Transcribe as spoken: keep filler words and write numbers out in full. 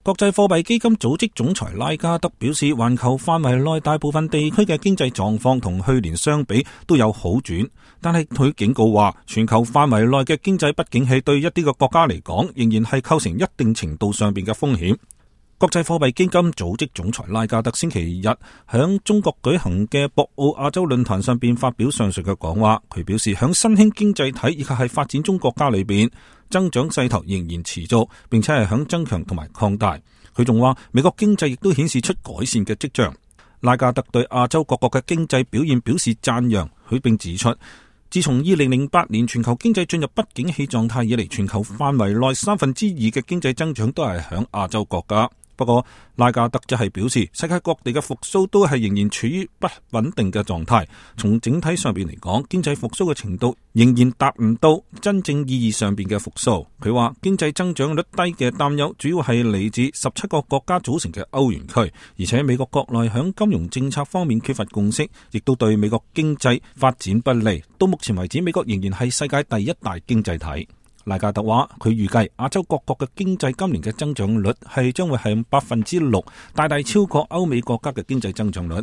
國際貨幣基金組織總裁拉加德表示，環球範圍內大部分地區嘅經濟狀況同去年相比都有好轉，但係佢警告話，全球範圍內嘅經濟不景氣對一啲嘅國家嚟講，仍然係構成一定程度上邊嘅風險。國際貨幣基金組織總裁拉加德星期日響中國舉行嘅博鰲亞洲論壇上邊發表上述嘅講話。佢表示，響新興經濟體以及係發展中國家裏邊，增長勢頭仍然持續，並且係響增強同埋擴大。佢仲話，美國經濟亦都顯示出改善嘅跡象。拉加德對亞洲各國嘅經濟表現表示讚揚，佢並指出，自從二零零八年全球經濟進入不景氣狀態以嚟，全球範圍內三分之二嘅經濟增長都係響亞洲國家。不過拉加德則係表示，世界各地嘅復甦都係仍然處於不穩定嘅狀態。從整體上邊嚟講，經濟復甦嘅程度仍然達唔到真正意義上邊嘅復甦。佢話經濟增長率低嘅擔憂主要係嚟自十七個國家組成嘅歐元區，而且美國國內響金融政策方面缺乏共識，亦都對美國經濟發展不利。到目前為止，美國仍然係世界第一大經濟體。拉加德話，佢預計亞洲各國嘅經濟今年嘅增長率係將會係百分之六，大大超過歐美國家嘅經濟增長率。